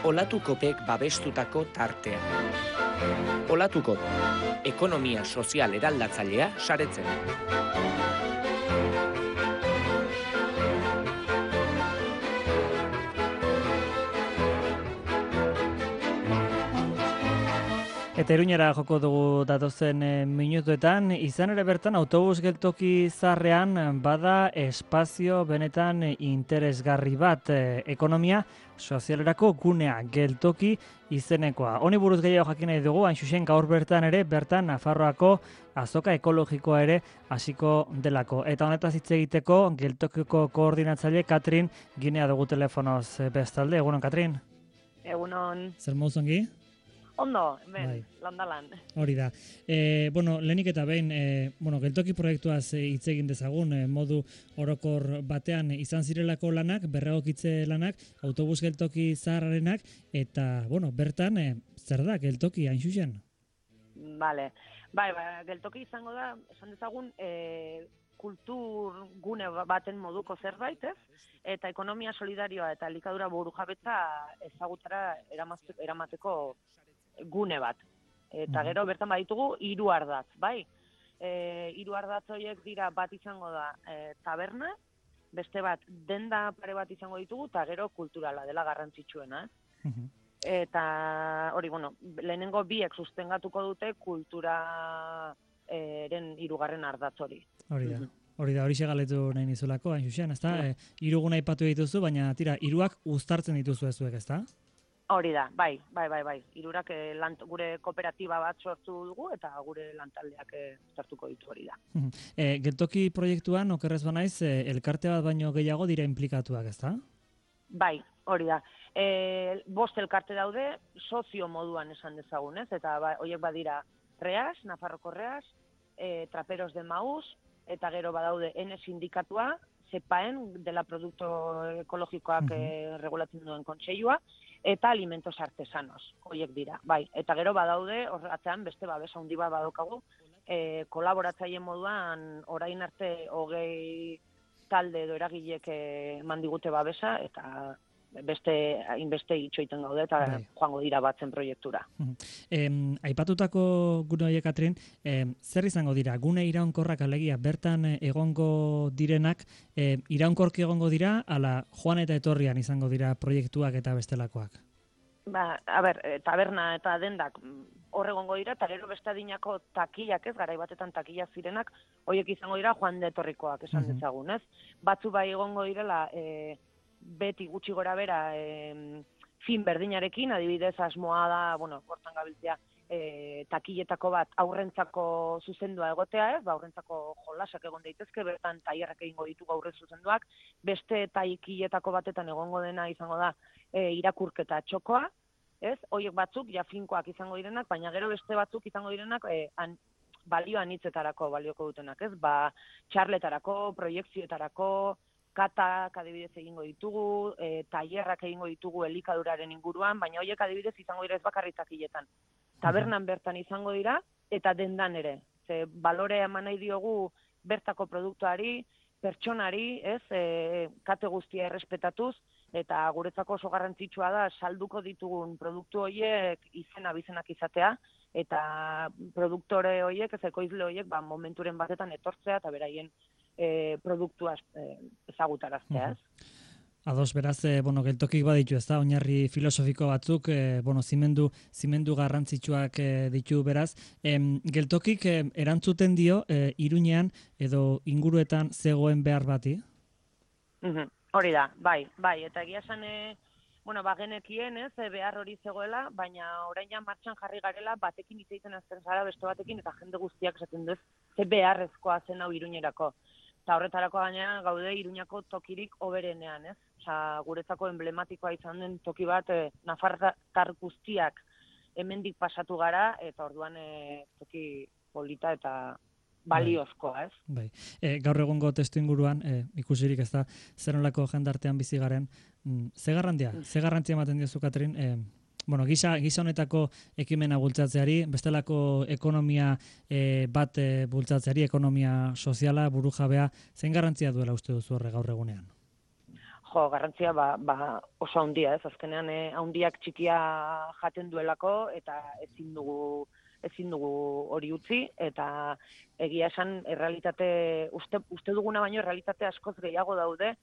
Olatukopek babestutako tartea. Olatukop, ekonomia sozial eraldatzailea saretzen. Eta Iruñera joko dugu datozen minutuetan, izan ere bertan autobus geltoki zaharrean bada espazio benetan interesgarri bat, ekonomia sozialerako gunea geltoki izenekoa. Honi buruz gehiago jakin nahi dugu, hain zuzen gaur bertan ere, bertan Nafarroako azoka ekologikoa ere hasiko delako. Eta honetaz hitz egiteko geltokiko koordinatzaile Katrin Ginea dugu telefonoz bestalde. Egunon, Katrin? Egunon. Zer moduz ongi? Ondo, hemen, landalan. Hori da. Lehenik eta behin, geltoki proiektuaz hitz egin dezagun, modu orokor batean izan zirelako lanak, berregokitze lanak, autobus geltoki zaharrarenak, eta, bertan, zer da geltoki hain zuzen? Bale. Bai, geltoki izango da, esan dezagun, kultur gune baten moduko zerbait, ez? Eta ekonomia solidarioa eta elikadura burujabetza ezagutara eramateko gune bat. Eta gero bertan baditugu 3 ardatz, bai? 3 ardatz horiek dira, bat izango da taberna, beste bat denda pare bat izango ditugu, eta gero kulturala dela garrantzitsuena. Eta hori, lehenengo biek sustengatuko dute kulturaren 3. ardatz hori. Hori da, hori segaletu nahi nizulako, hain zuzen, ezta? 3 gune aipatu dituzu, baina tira, 3ak uztartzen dituzu ezuek, ezta? Hori da, bai. 3ak gure kooperatiba bat sortu dugu eta gure lantaldeak sartuko ditu hori da. Geltoki proiektuan, okerrez banaiz, elkarte bat baino gehiago dira implikatuak, ezta? Bai, hori da. 5 elkarte daude, sozio moduan esan dezagun, ez? Eta horiek badira Reas, Nafarroko Reas, Traperos de Maús, eta gero badaude N sindikatua, ZEPAEN, dela produktu ekologikoak regulatzen duen kontseilua, eta alimentos artesanos, horiek dira. Bai, eta gero badaude, horretan beste babes handi bat badaukagu, kolaboratzaile moduan orain arte 20 talde edo eragilek eman digute babesa, eta hainbeste itxoiten gaude eta joango dira batzen proiektura. Aipatutako gune horiek, Katrin, zer izango dira? Gune iraunkorrak alegia bertan egongo direnak, iraunkorki egongo dira, ala joan eta etorrian izango dira proiektuak eta bestelakoak? Taberna eta dendak hor egongo dira, eta gero beste adinako takillak, ez, garai batetan takillak zirenak, horiek izango dira joan eta etorrikoak esan dezagun, ez? Batzu bai egongo direla, beti gutxi gora bera fin berdinarekin, adibidez asmoa da, hortan gabiltzea, takilletako bat aurrentzako zuzendua egotea, ez? Aurrentzako jolasak egon daitezke, bertan tailerrak egingo ditugu aurren zuzenduak, beste takilletako batetan egongo dena izango da irakurketa txokoa, ez? Horiek batzuk ja finkoak izango direnak, baina gero beste batzuk izango direnak balio anitzetarako balioko dutenak, ez? Txarletarako, proiekzioetarako, katak adibidez egingo ditugu, tailerrak egingo ditugu elikaduraren inguruan, baina horiek adibidez izango dira ez bakarrik takilletan. Tabernan bertan izango dira, eta dendan ere. Ze balore eman nahi diogu bertako produktuari, pertsonari, ez, kate guztia errespetatuz, eta guretzako oso garrantzitsua da salduko ditugun produktu horiek bizenak izatea, eta produktore horiek, ez ekoizle horiek, momenturen batetan etortzea eta beraien produktua ezagutaraztea, ez? Ados, beraz, geltokik baditu, ez da, oinarri filosofiko batzuk, zimendu garrantzitsuak ditu, beraz. Geltokik erantzuten dio, Iruñean edo inguruetan zegoen behar bati? Hori da, bai, eta egia esan, bagenekien, ez, behar hori zegoela, baina orain ja martxan jarri garela, batekin hitz egiten azten zara beste batekin, eta jende guztiak esaten duz, ze beharrezkoa zen hau Iruñerako. Eta horretarako gainera gaude Iruñako tokirik hoberenean, ez? Guretzako emblematikoa izan den toki bat, nafartar guztiak hemendik pasatu gara, eta orduan toki polita eta baliozkoa, ez? Bai. Gaur egungo testu inguruan, ikusirik ez da, zer nolako jendartean bizi garen, ze garrantzia ematen diozu, Katrin, gisa honetako ekimena bultzatzeari, bestelako ekonomia bat bultzatzeari, ekonomia soziala, burujabea, zein garrantzia duela uste duzu horre gaur egunean? garrantzia oso handia, ez? Azkenean handiak txikia jaten duelako eta ezin dugu hori utzi, eta egia esan errealitate, uste duguna baino errealitate askoz gehiago daude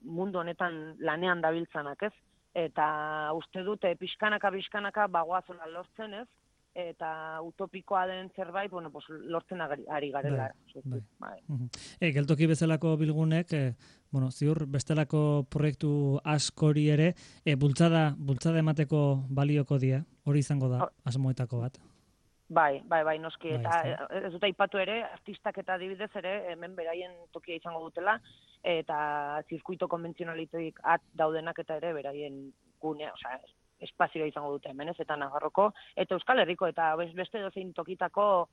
mundu honetan lanean dabiltzanak, ez? Eta uste dute pixkanaka bagoazela lortzen, ez? Eta utopikoa den zerbait, lortzen ari garela. Bai. Geltoki bezalako bilgunek, ziur bestelako proiektu askori ere, bultzada emateko balioko die, hori izango da, asmoetako bat. Bai, noski, eta ez dut aipatu ere, artistak eta adibidez ere, hemen beraien tokia izango dutela, eta zirkuito konbentzionalitoik daudenak eta ere beraien gunea, espazioa izango dute hemen, ez, eta Nafarroko, eta Euskal Herriko, eta beste dozein tokitako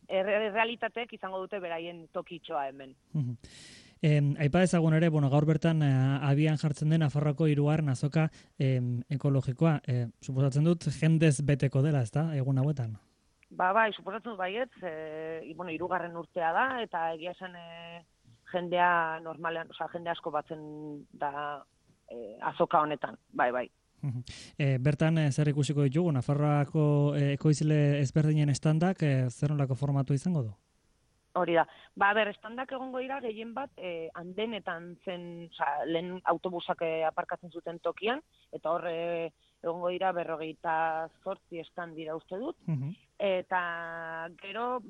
realitateek izango dute beraien tokitxoa hemen. Aipa ezagun ere, gaur bertan abian jartzen den Nafarroako 3. azoka ekologikoa. Suposatzen dut jendez beteko dela, ezta, egun hauetan? Bai, suposatzen dut baietz, 3. urtea da, eta egia esan jendea normalean, jende asko batzen da azoka honetan, bai. Bertan zer ikusiko ditugu, Nafarroako ekoizle ezberdinen estandak zer nolako formatu izango du? Hori da. Estandak egongo dira gehien bat andenetan zen, lehen autobusak aparkatzen zuten tokian, eta hor egongo dira 28 estand dira uste dut, eta gero,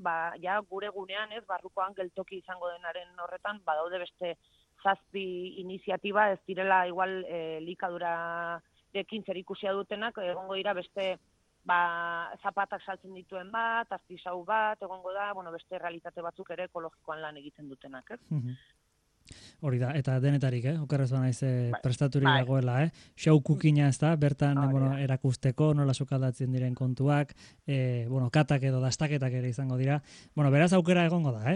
ja gure gunean, ez, barrukoan geltoki izango denaren horretan, badaude beste 7 iniziatiba, ez direla igual likadurarekin zer ikusia dutenak, egongo dira beste zapatak saltzen dituen bat, artisau bat, egongo da, beste realitate batzuk ere ekologikoan lan egiten dutenak, ez? Hori da, eta denetarik, okerrez banaiz prestaturik dagoela, show cookina ez da, bertan erakusteko, nola sukaldatzen diren kontuak, katak edo dastaketak ere izango dira. Beraz aukera egongo da,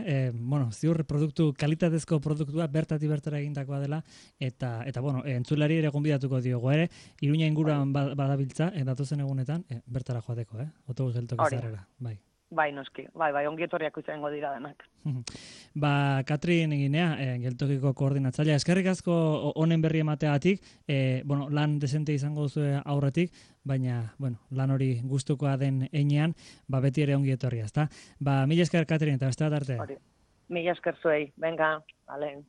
ziur kalitatezko produktua bertatik bertara egindakoa dela, eta entzulari ere gonbidatuko diogo ere, Iruña inguruan badabiltza, datozen egunetan, bertara joateko, autobus geltoki zarrera, bai. Bai, noski, bai, ongietorriak izango dira denak. Katrin Eginea, geltokiko koordinatzailea, eskerrik asko honen berri emateagatik, lan desente izango duzu aurretik, baina, lan hori gustukoa den heinean, beti ere ongietorria, ezta? Mila esker, Katrin, eta beste bat arte. Mila esker zuei, venga, vale.